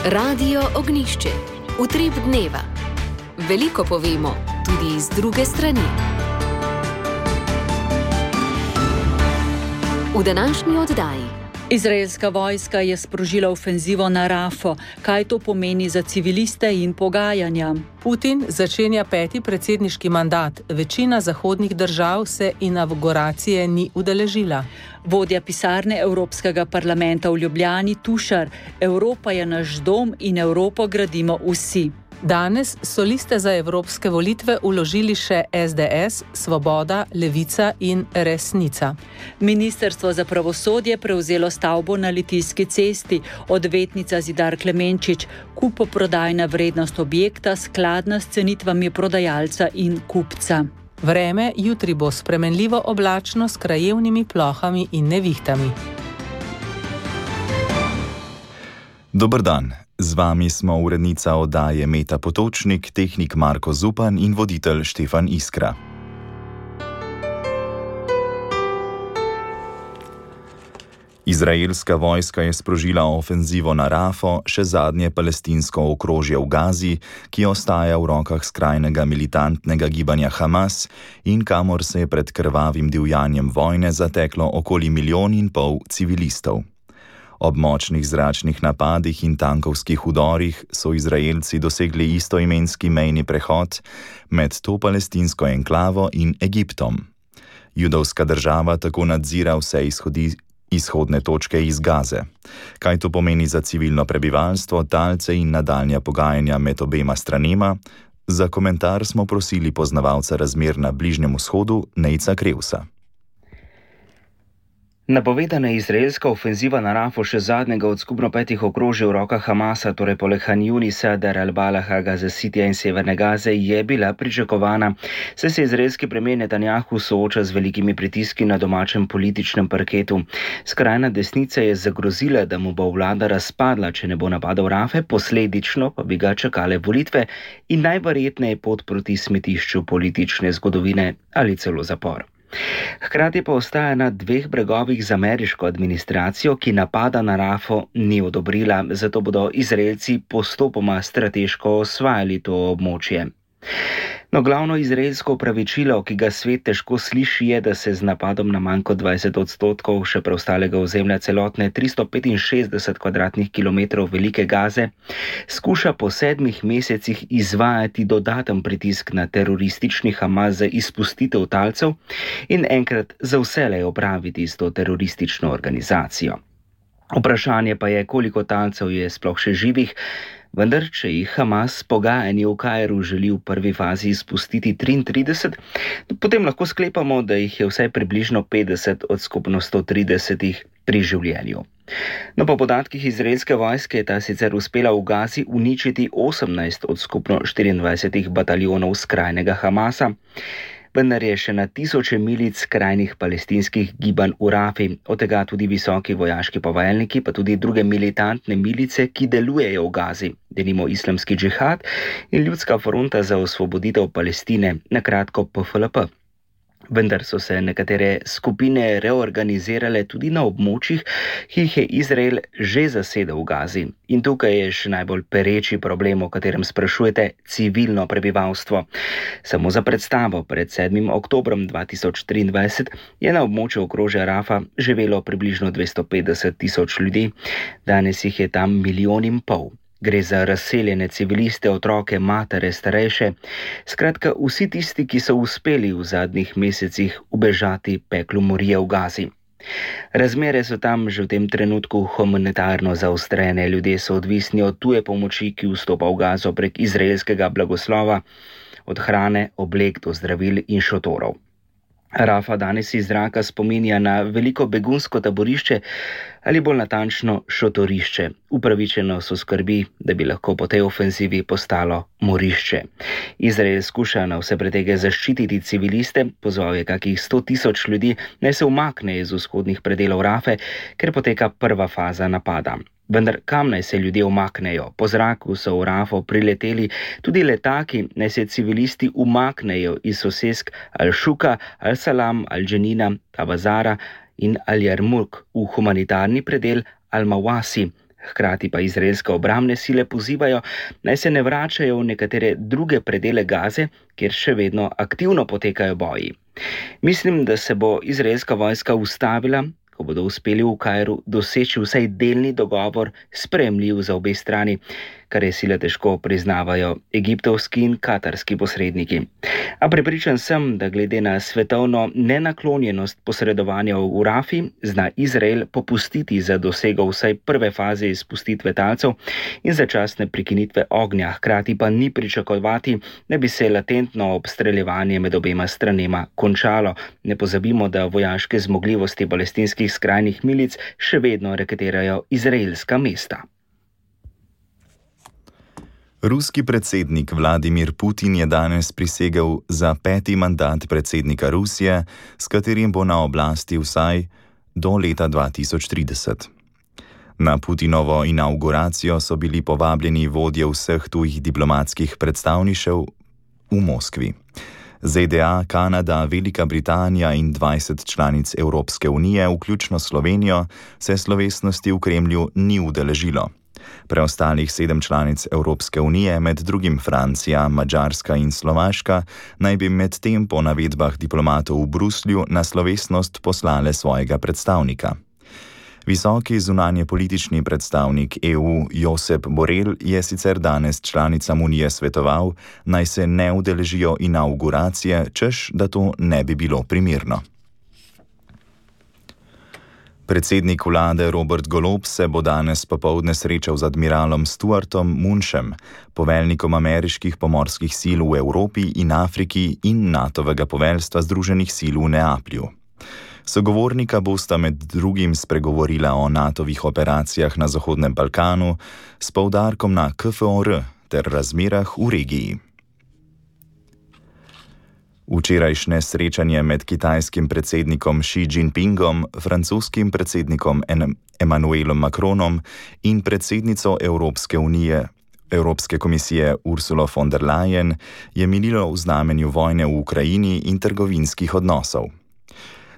Radio Ognjišče. Utrip dneva. Veliko povemo, tudi iz druge strani. V današnji oddaji. Izraelska vojska je sprožila ofenzivo na Rafo. Kaj to pomeni za civiliste in pogajanja? Putin začenja 5. predsedniški mandat. Večina zahodnih držav se inavguracije ni udeležila. Vodja pisarne Evropskega parlamenta v Ljubljani Tušar: Evropa je naš dom in Evropo gradimo vsi. Danes so liste za evropske volitve vložili še SDS, Svoboda, Levica in Resnica. Ministrstvo za pravosodje prevzelo stavbo na Litijski cesti. Odvetnica Zidar Klemenčič: kupoprodajna vrednost objekta skladna s cenitvami prodajalca in kupca. Vreme jutri bo spremenljivo oblačno s krajevnimi plohami in nevihtami. Dober dan. Z vami smo urednica oddaje Meta Potočnik, tehnik Marko Zupan in voditelj Štefan Iskra. Izraelska vojska je sprožila ofenzivo na Rafo, še zadnje palestinsko okrožje v Gazi, ki ostaja v rokah skrajnega militantnega gibanja Hamas in kamor se je pred krvavim divjanjem vojne zateklo okoli 1,5 milijona civilistov. Ob močnih zračnih napadih in tankovskih udorih so Izraelci dosegli istoimenski mejni prehod med to palestinsko enklavo in Egiptom. Judovska država tako nadzira vse izhodne točke iz Gaze. Kaj to pomeni za civilno prebivalstvo, talce in nadaljnja pogajanja med obema stranema? Za komentar smo prosili poznavalca razmer na Bližnjem vzhodu Nejca Krevsa. Napovedana izraelska ofenziva na Rafo, še zadnjega od skupno 5 okrožij v rokah Hamasa, torej poleg Han Junisa, Deir al-Balaha, Gaza Citya in Severne Gaze, je bila pričakovana, saj se izraelski premijer Netanjahu sooča z velikimi pritiski na domačem političnem parketu. Skrajna desnica je zagrozila, da mu bo vlada razpadla, če ne bo napadal Rafe, posledično pa bi ga čakale volitve in najverjetneje pot proti smetišču politične zgodovine ali celo zapor. Hkrati pa ostaja na 2 bregovih z ameriško administracijo, ki napada na Rafo ni odobrila, zato bodo Izraelci postopoma strateško osvajali to območje. No, glavno izraelsko opravičilo, ki ga svet težko sliši, je, da se z napadom na manj kot 20% še preostalega ozemlja celotne 365 kvadratnih kilometrov velike Gaze skuša po 7 mesecih izvajati dodaten pritisk na teroristični Hamas za izpustitev talcev in enkrat za vselej opraviti s to teroristično organizacijo. Vprašanje pa je, koliko talcev je sploh še živih, vendar če jih Hamas pogajanji v Kairu želi v prvi fazi izpustiti 33, potem lahko sklepamo, da jih je vsaj približno 50 od skupno 130 pri življenju. No, po podatkih izraelske vojske je ta sicer uspela v Gazi uničiti 18 od skupno 24 bataljonov skrajnega Hamasa, vendar je še na tisoče milic skrajnih palestinskih gibanj v Rafi, od tega tudi visoki vojaški poveljniki, pa tudi druge militantne milice, ki delujejo v Gazi, denimo Islamski džihad in Ljudska fronta za osvoboditev Palestine, na kratko PFLP. Vendar so se nekatere skupine reorganizirale tudi na območjih, ki jih je Izrael že zasedel v Gazi. In tukaj je še najbolj pereči problem, o katerem sprašujete, civilno prebivalstvo. Samo za predstavo, pred 7. oktobrom 2023 je na območju okrožja Rafa živelo približno 250 tisoč ljudi, danes jih je tam 1,5 milijona. Gre za razseljene civiliste, otroke, matere, starejše, skratka vsi tisti, ki so uspeli v zadnjih mesecih ubežati peklu morije v Gazi. Razmere so tam že v tem trenutku humanitarno zaostrene, ljudje so odvisni od tuje pomoči, ki vstopa v Gazo prek izraelskega blagoslova, od hrane, oblek do zdravil in šotorov. Rafa danes iz zraka spominja na veliko begunsko taborišče ali bolj natančno šotorišče. Upravičeno so skrbi, da bi lahko po tej ofenzivi postalo morišče. Izrael skuša na vse pretege zaščititi civiliste, pozval je kakih 100 tisoč ljudi, naj se umakne iz vzhodnih predelov Rafe, ker poteka prva faza napada. Vendar kam naj se ljudje umaknejo? Po zraku so v Rafo prileteli tudi letaki, naj se civilisti umaknejo iz sosesk Al-Shuka, Al-Salam, Al-Dženina, Tabazara in Al-Jarmuk v humanitarni predel Al-Mawasi, Hkrati pa izraelske obrambne sile pozivajo, naj se ne vračajo v nekatere druge predele Gaze, kjer še vedno aktivno potekajo boji. Mislim, da se bo izraelska vojska ustavila, ko bodo uspeli v Kairu doseči vsaj delni dogovor, sprejemljiv za obe strani, kar je sile težko priznavajo egiptovski in katarski posredniki. A prepričan sem, da glede na svetovno nenaklonjenost posredovanja v Rafi, zna Izrael popustiti za dosego vsaj prve faze izpustitve talcev in začasne prekinitve ognja, hkrati pa ni pričakovati, da bi se latentno obstreljevanje med obema stranema končalo. Ne pozabimo, da vojaške zmogljivosti palestinskih skrajnih milic še vedno reketirajo izraelska mesta. Ruski predsednik Vladimir Putin je danes prisegel za 5. mandat predsednika Rusije, s katerim bo na oblasti vsaj do leta 2030. Na Putinovo inavguracijo so bili povabljeni vodje vseh tujih diplomatskih predstavništev v Moskvi. ZDA, Kanada, Velika Britanija in 20 članic Evropske unije, vključno Slovenijo, se slovesnosti v Kremlju ni udeležilo. Preostalih 7 članic Evropske unije, med drugim Francija, Madžarska in Slovaška, naj bi medtem po navedbah diplomatov v Bruslju na slovesnost poslale svojega predstavnika. Visoki zunanjepolitični predstavnik EU Josep Borrell je sicer danes članicam unije svetoval, naj se ne udeležijo inavguracije, češ da to ne bi bilo primerno. Predsednik vlade Robert Golob se bo danes popoldne srečal z admiralom Stuartom Munschem, poveljnikom ameriških pomorskih sil v Evropi in Afriki in NATO-vega poveljstva Združenih sil v Neaplju. Sogovornika bosta med drugim spregovorila o NATO-vih operacijah na Zahodnem Balkanu s poudarkom na KFOR ter razmerah v regiji. Včerajšnje srečanje med kitajskim predsednikom Xi Jinpingom, francoskim predsednikom Emmanuelom Macronom in predsednico Evropske komisije Ursulo von der Leyen je minilo v znamenju vojne v Ukrajini in trgovinskih odnosov.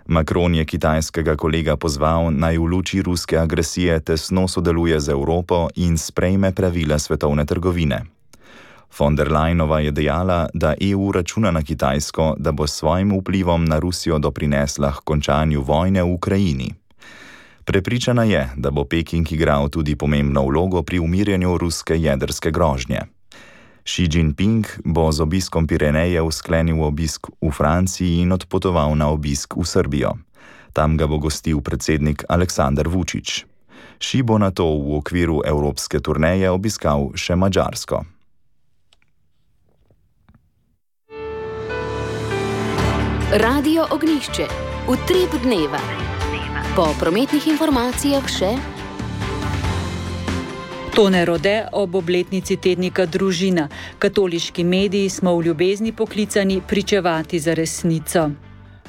Macron je kitajskega kolega pozval, naj v luči ruske agresije tesno sodeluje z Evropo in sprejme pravila svetovne trgovine. Von der Leyenova je dejala, da EU računa na Kitajsko, da bo s svojim vplivom na Rusijo doprinesla k končanju vojne v Ukrajini. Prepričana je, da bo Peking igral tudi pomembno vlogo pri umirjanju ruske jedrske grožnje. Xi Jinping bo z obiskom Pirenejev sklenil obisk v Franciji in odpotoval na obisk v Srbijo. Tam ga bo gostil predsednik Aleksandar Vučić. Xi bo nato v okviru evropske turneje obiskal še Madžarsko. Radio Ognjišče, utrip dneva. Po prometnih informacijah še Tone Rode ob obletnici tednika Družina. Katoliški mediji smo v ljubezni poklicani pričevati za resnico.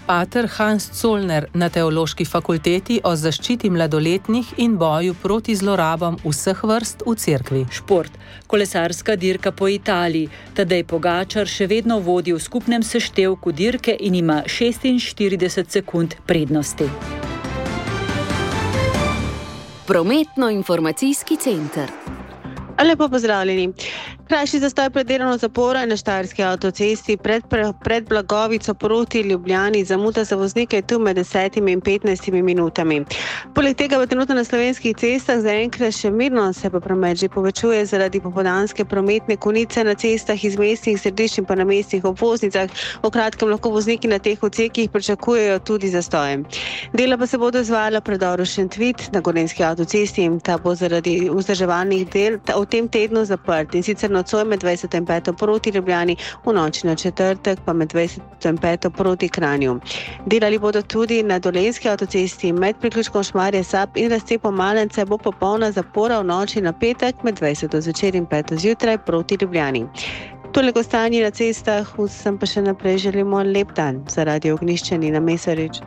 Pater Hans Zollner na Teološki fakulteti o zaščiti mladoletnih in boju proti zlorabam vseh vrst v cerkvi. Šport. Kolesarska dirka po Italiji. Tadej Pogačar še vedno vodi v skupnem seštevku dirke in ima 46 sekund prednosti. Prometno-informacijski center. Lepo pozdravljeni. Krajši zastoj pred delovno zaporo na Štajerski avtocesti pred Blagovico proti Ljubljani. Zamuda za voznike je tu med 10 in 15 minutami. Poleg tega pa trenutno na slovenskih cestah zaenkrat še mirno se pa promet že povečuje zaradi popoldanske prometne konice na cestah iz mestnih središč in pa na mestnih obvoznicah. V kratkem lahko vozniki na teh odsekih pričakujejo tudi zastoje. Dela pa se bodo izvajala predoru Šentvid na Gorenjski avtocesti in ta bo zaradi vzdrževalnih del v tem tednu zaprt. In sicer nocoj med 20. in 5. proti Ljubljani, v noči na četrtek pa med 20. in 5. proti Kranju. Delali bodo tudi na Dolenjski avtocesti med priključkom Šmarje Sap in razcepom Malence bo popolna zapora v noči na petek med 20. zvečer in 5. zjutraj proti Ljubljani. Toliko stanje na cestah, vsem pa še naprej želimo lep dan. Za Radio Ognjišče Nina Mesarič.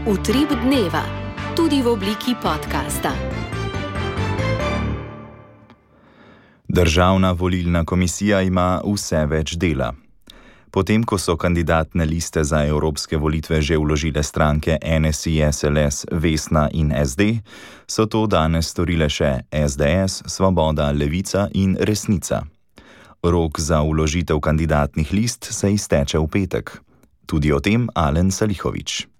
Utrip dneva, tudi v obliki podcasta. Državna volilna komisija ima vse več dela. Potem, ko so kandidatne liste za evropske volitve že vložile stranke NSI, SLS, Vesna in SD, so to danes storile še SDS, Svoboda, Levica in Resnica. Rok za vložitev kandidatnih list se izteče v petek. Tudi o tem Alen Salihović.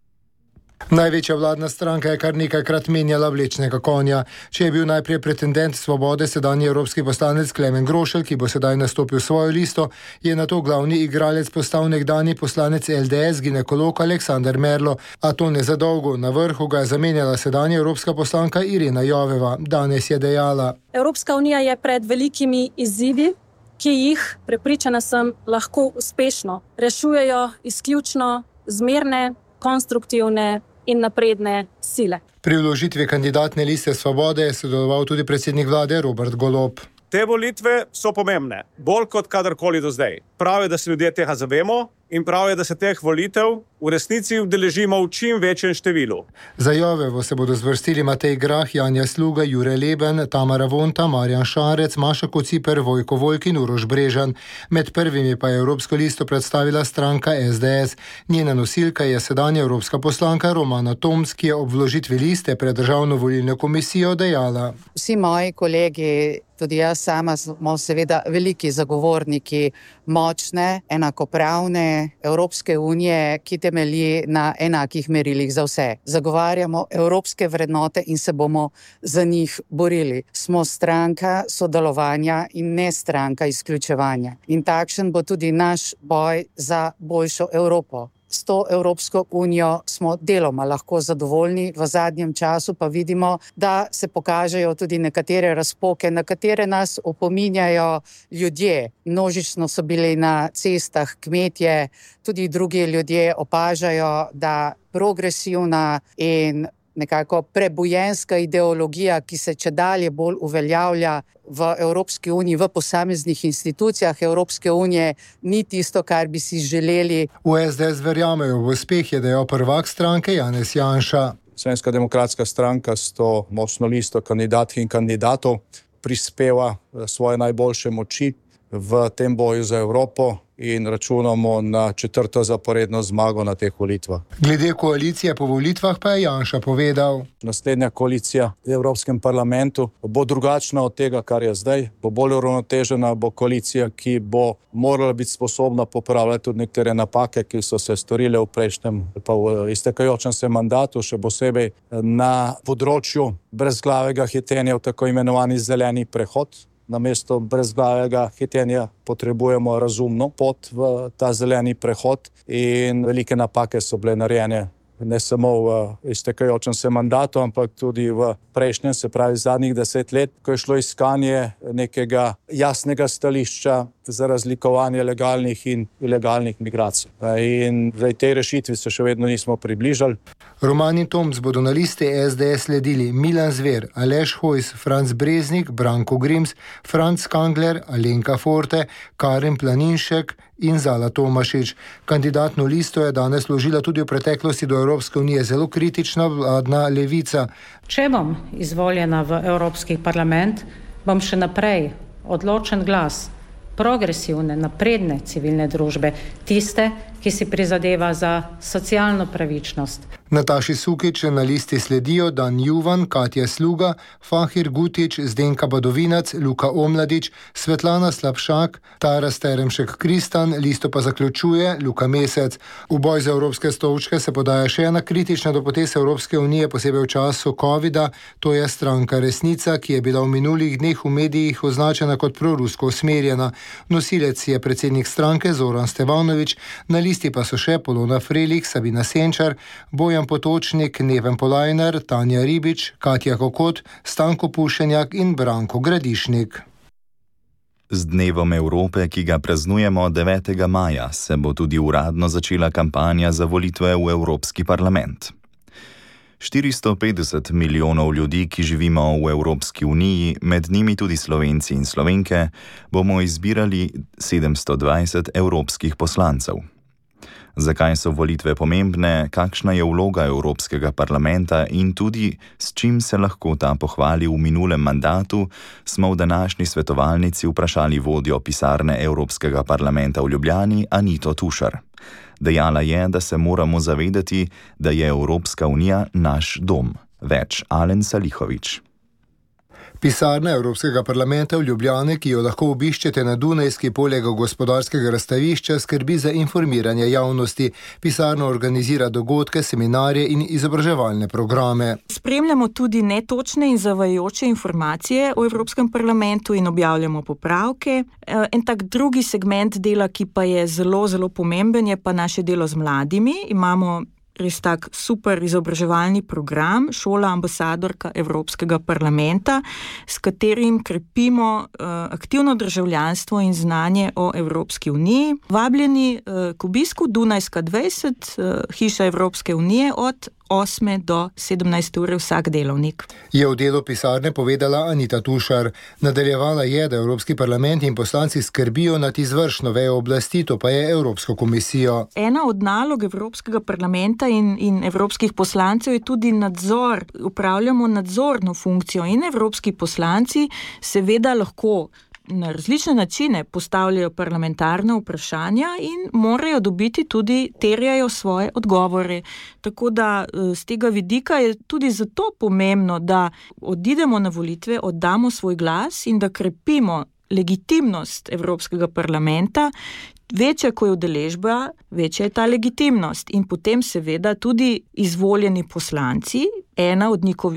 Največja vladna stranka je kar nekajkrat menjala vlečnega konja. Če je bil najprej pretendent Svobode, sedanji evropski poslanec Klemen Grošelj, ki bo sedaj nastopil svojo listo, je nato glavni igralec postal nekdanji poslanec LDS, ginekolog Aleksander Merlo. A to ne za dolgo. Na vrhu ga je zamenjala sedanja evropska poslanka Irena Joveva. Danes je dejala: Evropska unija je pred velikimi izzivi, ki jih, prepričana sem, lahko uspešno rešujejo izključno zmerne, konstruktivne in napredne sile. Pri vložitvi kandidatne liste Svobode je sodeloval tudi predsednik vlade Robert Golob. Te volitve so pomembne, bolj kot kadarkoli do zdaj. Prav je, da se ljudje tega zavemo in prav je, da se teh volitev v resnici udeležimo v čim večjem številu. Za Jovevo se bodo zvrstili Matej Grah, Janja Sluga, Jure Leben, Tamara Vonta, Marjan Šarec, Maša Kociper, Vojko Volk in Uroš Brežan. Med prvimi pa je evropsko listo predstavila stranka SDS. Njena nosilka je sedanja evropska poslanka Romana Toms, ki je ob vložitvi liste pred Državno volilno komisijo dejala: Vsi moji kolegi, tudi jaz sama, smo seveda veliki zagovorniki močne, enakopravne Evropske unije, ki temelji na enakih merilih za vse. Zagovarjamo evropske vrednote in se bomo za njih borili. Smo stranka sodelovanja in ne stranka izključevanja. In takšen bo tudi naš boj za boljšo Evropo. S to Evropsko unijo smo deloma lahko zadovoljni, v zadnjem času pa vidimo, da se pokažejo tudi nekatere razpoke, na katere nas opominjajo ljudje. Množično so bili na cestah kmetje, tudi drugi ljudje opažajo, da progresivna in nekako prebujenska ideologija, ki se čedalje bolj uveljavlja v Evropski uniji, v posameznih institucijah Evropske unije, ni tisto, kar bi si želeli. V SDS verjamejo v uspeh, je dejal prvak stranke Janez Janša. Slovenska demokratska stranka s to močno listo kandidatk in kandidatov prispeva svoje najboljše moči v tem boju za Evropo in računamo na 4. zaporedno zmago na teh volitvah. Glede koalicije po volitvah pa je Janša povedal: Naslednja koalicija v Evropskem parlamentu bo drugačna od tega, kar je zdaj, bo bolj uravnotežena, bo koalicija, ki bo morala biti sposobna popravljati tudi nekatere napake, ki so se storile v prejšnjem pa v iztekajočem se mandatu, še posebej na področju brezglavega hitenja v tako imenovani zeleni prehod. Namesto brezglavega hitenja potrebujemo razumno pot v ta zeleni prehod in velike napake so bile narejene ne samo v iztekajočem se mandatu, ampak tudi v prejšnjem, se pravi zadnjih 10 let, ko je šlo iskanje nekega jasnega stališča za razlikovanje legalnih in ilegalnih migracij. In zdaj tej rešitvi se še vedno nismo približali. Roman in Toms bodo na listi SDS sledili Milan Zver, Aleš Hojs, Franc Breznik, Branko Grims, Franc Kangler, Alenka Forte, Karin Planinšek in Zala Tomašič. Kandidatno listo je danes vložila tudi v preteklosti do Evropske unije zelo kritična vladna Levica. Če bom izvoljena v Evropski parlament, bom še naprej odločen glas progresivne, napredne civilne družbe, tiste, ki si prizadeva za socialno pravičnost. Nataši Sukič na listi sledijo Dan Juvan, Katja Sluga, Fahir Gutič, Zdenka Badovinac, Luka Omladič, Svetlana Slapšak, Tara Steremšek Kristan, listo pa zaključuje Luka Mesec. V boj za evropske stolčke se podaja še ena kritična do potez Evropske unije, posebej v času covida, to je stranka Resnica, ki je bila v minulih dneh v medijih označena kot prorusko usmerjena. Nosilec je predsednik stranke Zoran Stevanovič, na listi pa so še Polona Frelich, Sabina Senčar, Bojan Potočnik, Neven Polajnar, Tanja Ribič, Katja Kokot, Stanko Pušenjak in Branko Gradišnik. Z Dnevom Evrope, ki ga praznujemo 9. maja, se bo tudi uradno začela kampanja za volitve v Evropski parlament. 450 milijonov ljudi, ki živimo v Evropski uniji, med njimi tudi Slovenci in Slovenke, bomo izbirali 720 evropskih poslancev. Zakaj so volitve pomembne, kakšna je vloga Evropskega parlamenta in tudi s čim se lahko ta pohvali v minulem mandatu, smo v današnji svetovalnici vprašali vodjo pisarne Evropskega parlamenta v Ljubljani Anito Tušar. Dejala je, da se moramo zavedati, da je Evropska unija naš dom. Več Alen Salihović. Pisarna Evropskega parlamenta v Ljubljani, ki jo lahko obiščete na Dunajski poleg gospodarskega razstavišča, skrbi za informiranje javnosti. Pisarna organizira dogodke, seminarje in izobraževalne programe. Spremljamo tudi netočne in zavajajoče informacije o Evropskem parlamentu in objavljamo popravke. En tak drugi segment dela, ki pa je zelo, zelo pomemben, je pa naše delo z mladimi. Imamo res tak super izobraževalni program Šola ambasadorka Evropskega parlamenta, s katerim krepimo aktivno državljanstvo in znanje o Evropski uniji. Vabljeni k obisku Dunajska 20, hiša Evropske unije od 8 do 17 ure vsak delovnik. Je v delu pisarne povedala Anita Tušar. Nadaljevala je, da Evropski parlament in poslanci skrbijo nad izvršno vejo oblasti, to pa je Evropsko komisijo. Ena od nalog Evropskega parlamenta in evropskih poslancev je tudi nadzor. Upravljamo nadzorno funkcijo in evropski poslanci seveda lahko na različne načine postavljajo parlamentarne vprašanja in morajo dobiti tudi, terjajo svoje odgovore. Tako da z tega vidika je tudi zato pomembno, da odidemo na volitve, oddamo svoj glas in da krepimo legitimnost Evropskega parlamenta. Večja, ko je udeležba, večja je ta legitimnost in potem seveda tudi izvoljeni poslanci. Ena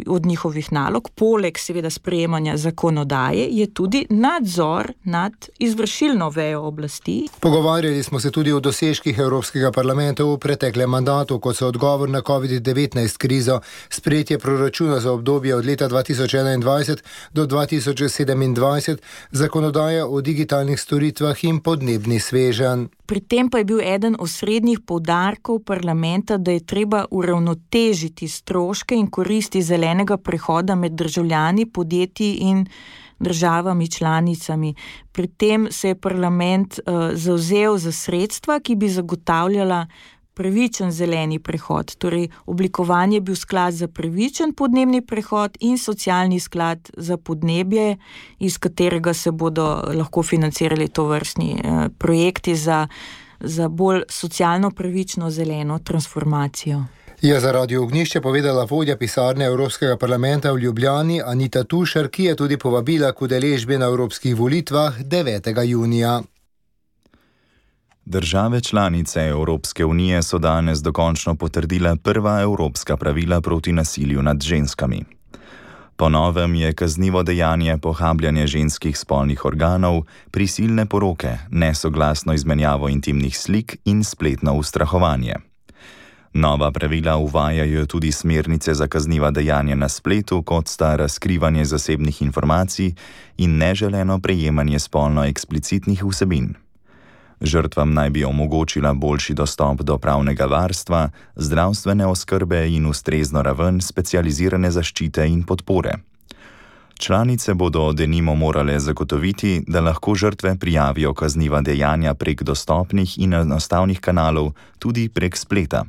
od njihovih nalog, poleg seveda sprejemanja zakonodaje, je tudi nadzor nad izvršilno vejo oblasti. Pogovarjali smo se tudi o dosežkih Evropskega parlamenta v preteklem mandatu, kot so odgovor na COVID-19 krizo, sprejetje proračuna za obdobje od leta 2021 do 2027, zakonodaja o digitalnih storitvah in podnebni sveženj. Pri tem pa je bil eden osrednjih poudarkov parlamenta, da je treba uravnotežiti stroške in koristi zelenega prehoda med državljani, podjetji in državami članicami. Pri tem se je parlament zavzel za sredstva, ki bi zagotavljala pravičen zeleni prehod. Torej, oblikovan je bil sklad za pravičen podnebni prehod in socialni sklad za podnebje, iz katerega se bodo lahko financirali tovrstni projekti za bolj socialno pravično zeleno transformacijo. Je za Radio Ognjišče povedala vodja pisarne Evropskega parlamenta v Ljubljani Anita Tušar, ki je tudi povabila k udeležbi na evropskih volitvah 9. junija. Države članice Evropske unije so danes dokončno potrdile prva evropska pravila proti nasilju nad ženskami. Po novem je kaznivo dejanje pohabljanje ženskih spolnih organov, prisilne poroke, nesoglasno izmenjavo intimnih slik in spletno ustrahovanje. Nova pravila uvajajo tudi smernice za kazniva dejanja na spletu, kot sta razkrivanje zasebnih informacij in neželeno prejemanje spolno eksplicitnih vsebin. Žrtvam naj bi omogočila boljši dostop do pravnega varstva, zdravstvene oskrbe in ustrezno raven specializirane zaščite in podpore. Članice bodo denimo morale zagotoviti, da lahko žrtve prijavijo kazniva dejanja prek dostopnih in enostavnih kanalov, tudi prek spleta.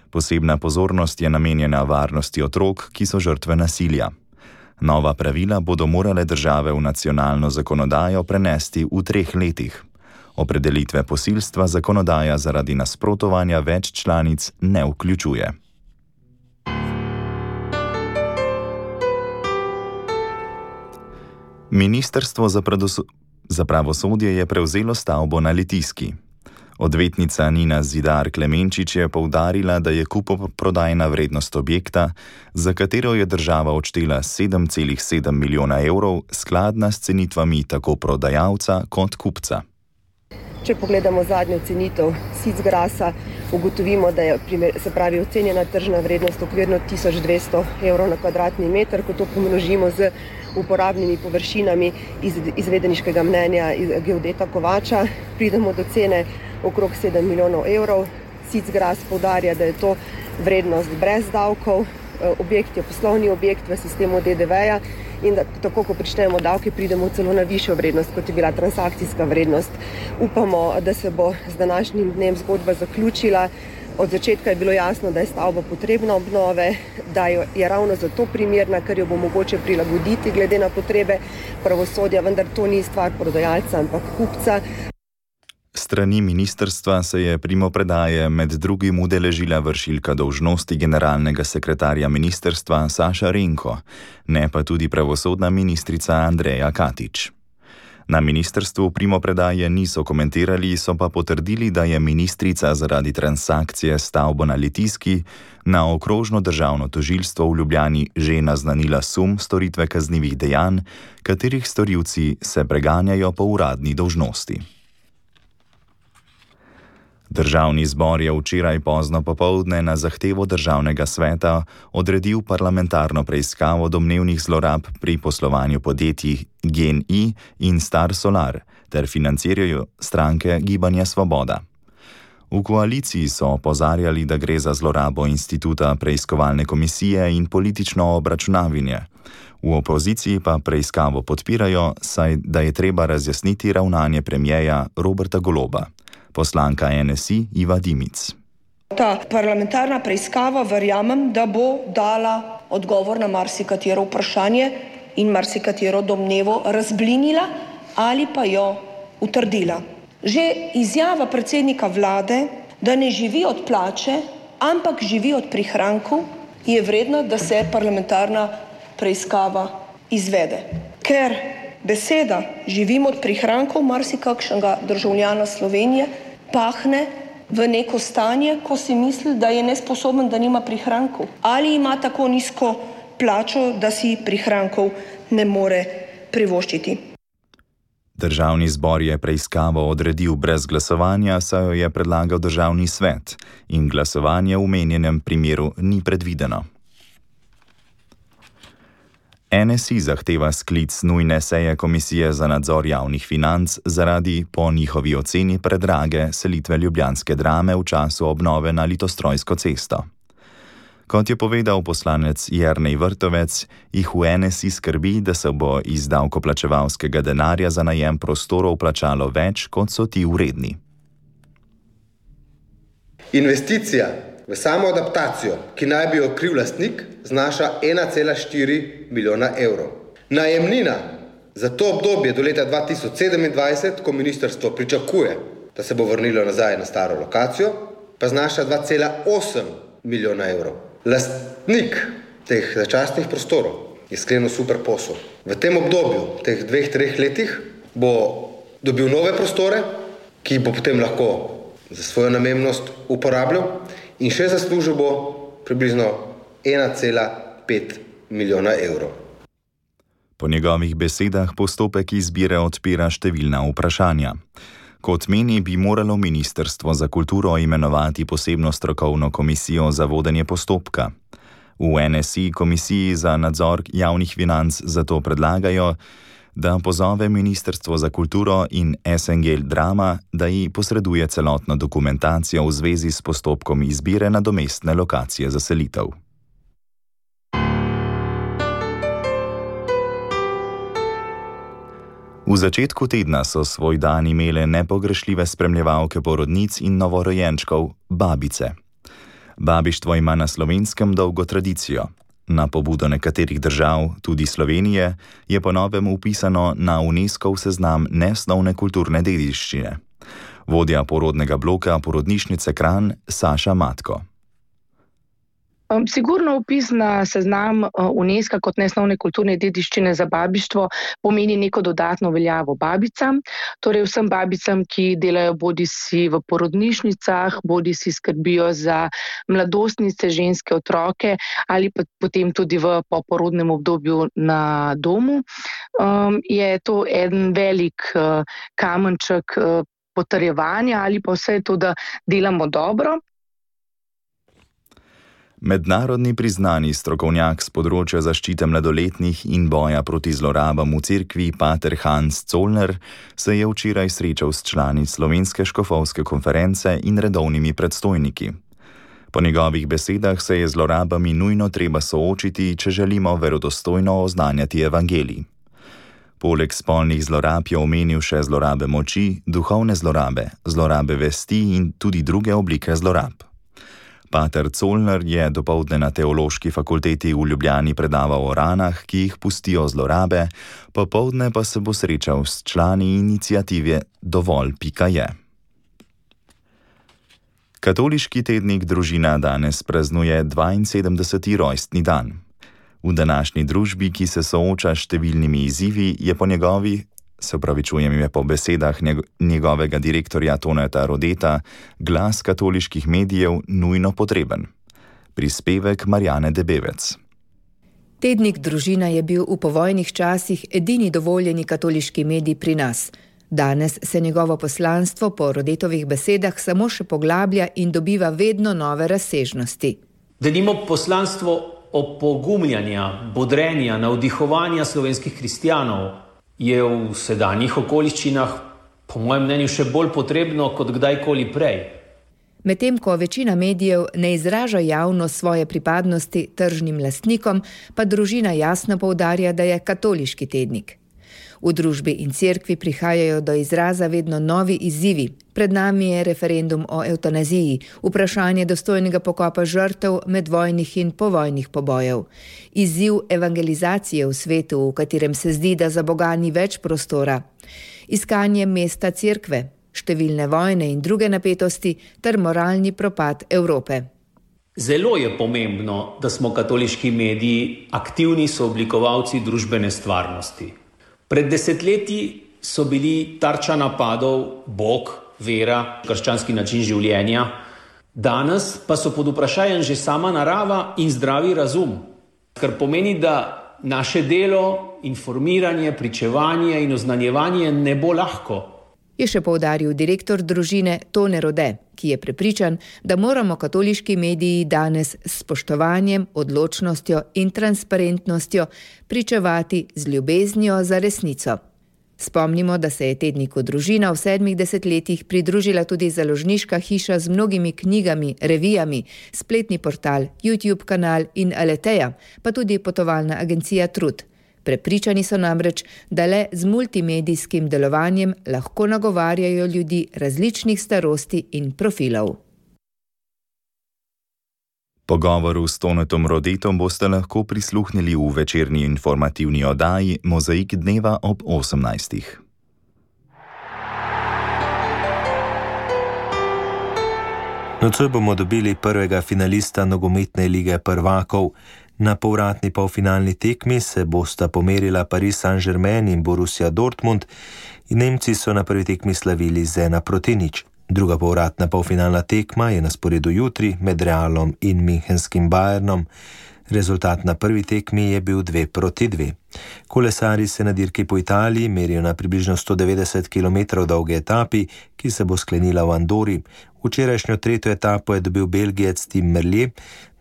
Posebna pozornost je namenjena varnosti otrok, ki so žrtve nasilja. Nova pravila bodo morale države v nacionalno zakonodajo prenesti v 3 letih. Opredelitve posilstva zakonodaja zaradi nasprotovanja več članic ne vključuje. Ministrstvo za pravosodje je prevzelo stavbo na Litijski. Odvetnica Nina Zidar Klemenčič je poudarila, da je kupoprodajna vrednost objekta, za katero je država odštela 7,7 milijona evrov, skladna s cenitvami tako prodajalca kot kupca. Če pogledamo zadnjo cenitev Sicgrasa, ugotovimo, da je ocenjena tržna vrednost okvirno 1200 evrov na kvadratni meter. Ko to pomnožimo z uporabnimi površinami izvedeniškega mnenja geodeta Kovača, pridemo do cene okrog 7 milijonov evrov. Sicgras poudarja, da je to vrednost brez davkov. Objekt je poslovni objekt v sistemu DDV-ja in da tako, ko pričnemo davke, pridemo celo na višjo vrednost, kot je bila transakcijska vrednost. Upamo, da se bo z današnjim dnem zgodba zaključila. Od začetka je bilo jasno, da je stavba potrebna obnove, da je ravno zato primerna, ker jo bo mogoče prilagoditi glede na potrebe pravosodja, vendar to ni stvar prodajalca, ampak kupca. Strani ministrstva se je primopredaje med drugim udeležila vršilka dolžnosti generalnega sekretarja ministrstva Saša Renko, ne pa tudi pravosodna ministrica Andreja Katič. Na ministrstvu primopredaje niso komentirali, so pa potrdili, da je ministrica zaradi transakcije stavbo na Litijski na okrožno državno tožilstvo v Ljubljani že naznanila sum storitve kaznivih dejanj, katerih storilci se preganjajo po uradni dolžnosti. Državni zbor je včeraj pozno popoldne na zahtevo Državnega sveta odredil parlamentarno preiskavo domnevnih zlorab pri poslovanju podjetij GEN-I in Star Solar ter financirajo stranke Gibanja Svoboda. V koaliciji so opozarjali, da gre za zlorabo instituta preiskovalne komisije in politično obračunavanje. V opoziciji pa preiskavo podpirajo, saj da je treba razjasniti ravnanje premierja Roberta Goloba. Poslanka NSI Iva Dimic. Ta parlamentarna preiskava verjamem, da bo dala odgovor na marsikatero vprašanje in marsikatero domnevo razblinila ali pa jo utrdila. Že izjava predsednika vlade, da ne živi od plače, ampak živi od prihrankov, je vredna, da se parlamentarna preiskava izvede. Ker beseda živim od prihrankov marsikakšnega državljana Slovenije pahne v neko stanje, ko si misli, da je nesposoben, da nima prihrankov. Ali ima tako nizko plačo, da si prihrankov ne more privoščiti. Državni zbor je preiskavo odredil brez glasovanja, saj jo je predlagal Državni svet in glasovanje v omenjenem primeru ni predvideno. NSI zahteva sklic nujne seje Komisije za nadzor javnih financ zaradi, po njihovi oceni, predrage selitve ljubljanske Drame v času obnove na Litostrojsko cesto. Kot je povedal poslanec Jernej Vrtovec, jih v NSI skrbi, da se bo iz davkoplačevalskega denarja za najem prostorov plačalo več, kot so ti vredni. Investicija v samo adaptacijo, ki naj bi jo kril lastnik, znaša 1,4 milijona evrov. Najemnina za to obdobje do leta 2027, ko ministrstvo pričakuje, da se bo vrnilo nazaj na staro lokacijo, pa znaša 2,8 milijona evrov. Lastnik teh začasnih prostorov je sklenil super posel. V tem obdobju, teh 2-3 letih, bo dobil nove prostore, ki bo potem lahko za svojo namembnost uporabljal in še zaslužil bo približno 1,5 milijona evrov. Po njegovih besedah postopek izbire odpira številna vprašanja. Kot meni, bi moralo Ministrstvo za kulturo imenovati posebno strokovno komisijo za vodenje postopka. V NSI Komisiji za nadzor javnih financ zato predlagajo, da pozove Ministrstvo za kulturo in SNG Drama, da ji posreduje celotno dokumentacijo v zvezi s postopkom izbire nadomestne lokacije za selitev. V začetku tedna so svoj dan imele nepogrešljive spremljevalke porodnic in novorojenčkov, babice. Babištvo ima na Slovenskem dolgo tradicijo. Na pobudo nekaterih držav, tudi Slovenije, je po novem vpisano na UNESCO seznam nesnovne kulturne dediščine. Vodja porodnega bloka porodnišnice Kranj Saša Matko. Sigurno vpis na seznam UNESCO kot nesnovne kulturne dediščine za babištvo pomeni neko dodatno veljavo babicam, torej vsem babicam, ki delajo bodisi v porodnišnicah, bodisi skrbijo za mladostnice, ženske, otroke ali pa potem tudi v poporodnem obdobju na domu. Je to en velik kamenček potrjevanja ali pa vse to, da delamo dobro. Mednarodni priznani strokovnjak z področja zaščite mladoletnih in boja proti zlorabam v cerkvi pater Hans Zollner se je včeraj srečal s člani Slovenske škofovske konference in redovnimi predstojniki. Po njegovih besedah se je z zlorabami nujno treba soočiti, če želimo verodostojno oznanjati evangelij. Poleg spolnih zlorab je omenil še zlorabe moči, duhovne zlorabe, zlorabe vesti in tudi druge oblike zlorab. Pater Zollner je dopoldne na Teološki fakulteti v Ljubljani predaval o ranah, ki jih pustijo zlorabe, popoldne pa se bo srečal s člani iniciative Dovolj.je. Katoliški tednik Družina danes praznuje 72. rojstni dan. V današnji družbi, ki se sooča s številnimi izzivi, je po besedah njegovega direktorja Toneta Rodeta glas katoliških medijev nujno potreben. Prispevek Marjane Debevec. Tednik Družina je bil v povojnih časih edini dovoljeni katoliški medij pri nas. Danes se njegovo poslanstvo po Rodetovih besedah samo še poglablja in dobiva vedno nove razsežnosti. Denimo poslanstvo opogumljanja, bodrenja, navdihovanja slovenskih kristjanov je v sedanjih okoliščinah, po mojem mnenju, še bolj potrebno kot kdajkoli prej. Medtem ko večina medijev ne izraža javno svoje pripadnosti tržnim lastnikom, pa Družina jasno poudarja, da je katoliški tednik. V družbi in cerkvi prihajajo do izraza vedno novi izzivi. Pred nami je referendum o evtanaziji, vprašanje dostojnega pokopa žrtev medvojnih in povojnih pobojev. Izziv evangelizacije v svetu, v katerem se zdi, da za Boga ni več prostora. Iskanje mesta cerkve, številne vojne in druge napetosti ter moralni propad Evrope. Zelo je pomembno, da smo katoliški mediji aktivni sooblikovalci družbene stvarnosti. Pred desetletji so bili tarča napadov Bog, vera, krščanski način življenja. Danes pa so pod vprašanjem že sama narava in zdravi razum, kar pomeni, da naše delo, informiranje, pričevanje in oznanjevanje ne bo lahko. Je še poudaril direktor Družine Tone Rode, ki je prepričan, da moramo katoliški mediji danes s spoštovanjem, odločnostjo in transparentnostjo pričevati z ljubeznijo za resnico. Spomnimo, da se je tedniku Družina v 7 desetletjih pridružila tudi založniška hiša z mnogimi knjigami, revijami, spletni portal, YouTube kanal in Aleteja, pa tudi potovalna agencija Trud. Prepričani so namreč, da le z multimedijskim delovanjem lahko nagovarjajo ljudi različnih starosti in profilov. Pogovoru s Tonetom Rodetom boste lahko prisluhnili v večerni informativni oddaji Mozaik dneva ob 18. Nocoj bomo dobili prvega finalista nogometne lige prvakov. Na povratni polfinalni tekmi se bosta pomerila Paris Saint-Germain in Borussia Dortmund in Nemci so na prvi tekmi slavili z 1-0. Druga povratna polfinalna tekma je na sporedu jutri med Realom in Münchenskim Bayernom. Rezultat na prvi tekmi je bil 2-2. Kolesarji se na dirki po Italiji merijo na približno 190 km dolge etapi, ki se bo sklenila v Andori. Včerajšnjo tretjo etapo je dobil Belgijec Tim Merlier.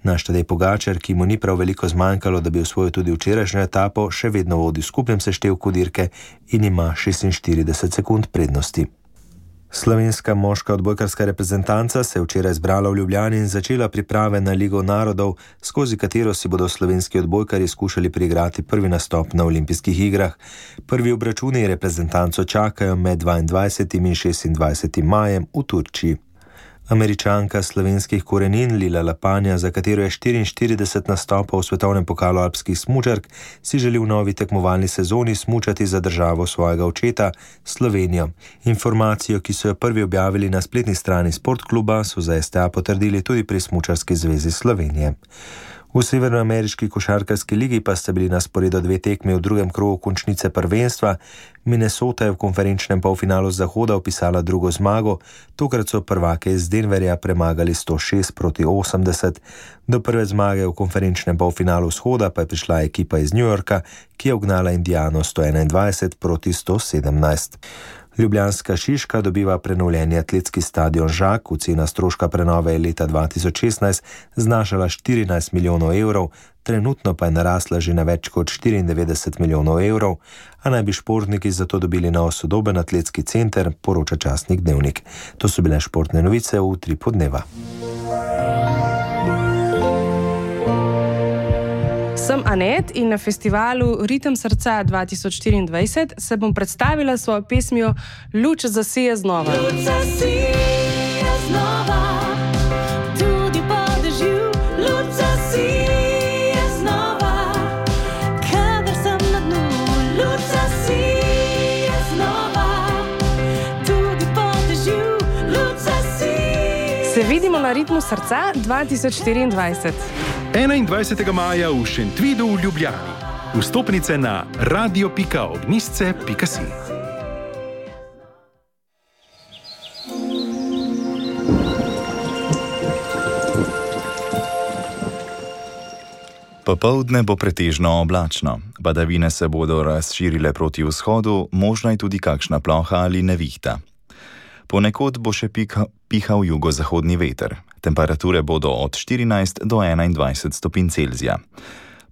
Naš Tadej Pogačar, ki mu ni prav veliko zmanjkalo, da bi osvojil tudi včerajšnjo etapo, še vedno vodi v skupnem seštevku dirke in ima 46 sekund prednosti. Slovenska moška odbojkarska reprezentanca se je včeraj zbrala v Ljubljani in začela priprave na Ligo narodov, skozi katero si bodo slovenski odbojkarji skušali priigrati prvi nastop na olimpijskih igrah. Prvi obračuni reprezentanco čakajo med 22. in 26. majem v Turčiji. Američanka slovenskih korenin Lila Lapanja, za katero je 44 nastopov v svetovnem pokalu alpskih smučark, si želi v novi tekmovalni sezoni smučati za državo svojega očeta, Slovenijo. Informacijo, ki so jo prvi objavili na spletni strani sportkluba, so za STA potrdili tudi pri Smučarski zvezi Slovenije. V severnoameriški košarkarski ligi pa sta bili na sporedu 2 tekmi v drugem krogu končnice prvenstva. Minnesota je v konferenčnem polfinalu Zahoda vpisala drugo zmago, tokrat so prvake iz Denverja premagali 106-80. Do prve zmage v konferenčnem polfinalu Vzhoda pa je prišla ekipa iz New Yorka, ki je ugnala Indiano 121-117. Ljubljanska Šiška dobiva prenovljeni atletski stadion Žak, cena stroška prenove je leta 2016 znašala 14 milijonov evrov, trenutno pa je narasla že na več kot 94 milijonov evrov, a naj bi športniki zato dobili nov sodoben atletski center, poroča časnik Dnevnik. To so bile športne novice v Utripu dneva. Sem Anet in na festivalu Ritem srca 2024 se bom predstavila s svojo pesmijo Luč zasije znova. Luč zasije znova, tudi po dežju, luč zasije znova, kadar sem na dnu, luč zasije znova, tudi po dežju, luč zasije. Se vidimo na Ritmu srca 2024. 21. maja v Šentvidu v Ljubljani. Vstopnice na radio.ognjisce.si. Popoldne bo pretežno oblačno. Padavine se bodo razširile proti vzhodu, možna je tudi kakšna ploha ali nevihta. Ponekod bo še pihal jugozahodni veter. Temperature bodo od 14 do 21 stopinj Celzija.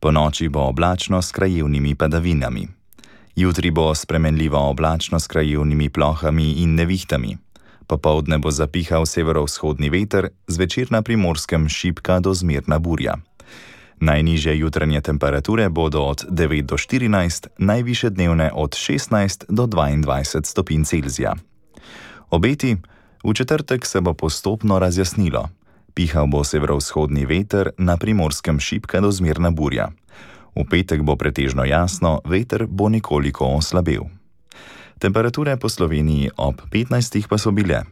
Po noči bo oblačno s krajevnimi padavinami. Jutri bo spremenljivo oblačno s krajevnimi plohami in nevihtami. Popoldne bo zapihal severovzhodni veter, zvečer na Primorskem šibka do zmerna burja. Najnižje jutranje temperature bodo od 9 do 14, najvišje dnevne od 16 do 22 stopinj Celzija. Obeti: v četrtek se bo postopno razjasnilo. Pihal bo severovzhodni veter, na Primorskem šibka do zmerna burja. V petek bo pretežno jasno, veter bo nekoliko oslabel. Temperature po Sloveniji ob 15 pa so bile: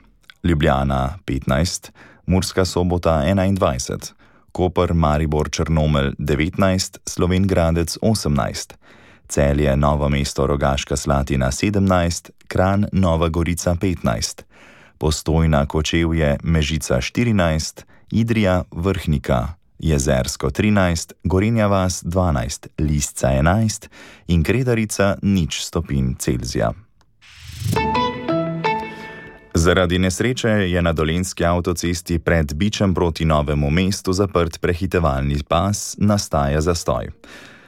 Ljubljana 15, Murska Sobota 21, Koper, Maribor, Črnomelj 19, Slovenj Gradec 18, Celje, Novo mesto, Rogaška Slatina 17, Kranj, Nova Gorica 15, Postojna, Kočevje, Mežica 14, Idrija, Vrhnika, Jezersko 13, Gorenja vas 12, Lisca 11 in Kredarica 0 stopinj Celzija. Zaradi nesreče je na dolenjski avtocesti pred Bičem proti Novemu mestu zaprt prehitevalni pas, nastaja zastoj.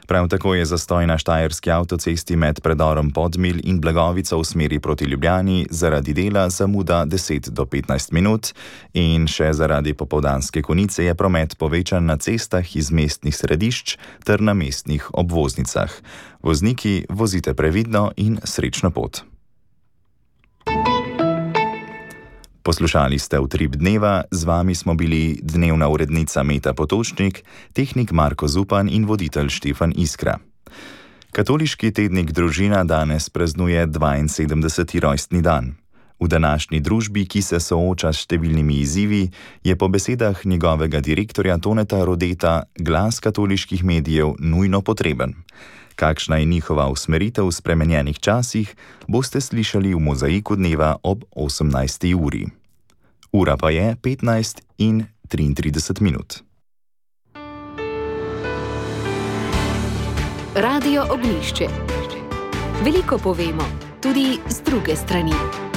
Prav tako je zastoj na štajerski avtocesti med predorom Podmilj in Blagovico v smeri proti Ljubljani zaradi dela zamuda 10 do 15 minut in še zaradi popoldanske konice je promet povečan na cestah iz mestnih središč ter na mestnih obvoznicah. Vozniki, vozite previdno in srečno pot. Poslušali ste Utrip dneva, z vami smo bili dnevna urednica Meta Potočnik, tehnik Marko Zupan in voditelj Štefan Iskra. Katoliški tednik Družina danes praznuje 72. rojstni dan. V današnji družbi, ki se sooča s številnimi izzivi, je po besedah njegovega direktorja Toneta Rodeta glas katoliških medijev nujno potreben. Kakšna je njihova usmeritev v spremenjenih časih, boste slišali v Mozaiku dneva ob 18. uri. Ura pa je 15:33 minut. Radio Ognjišče. Veliko povemo, tudi z druge strani.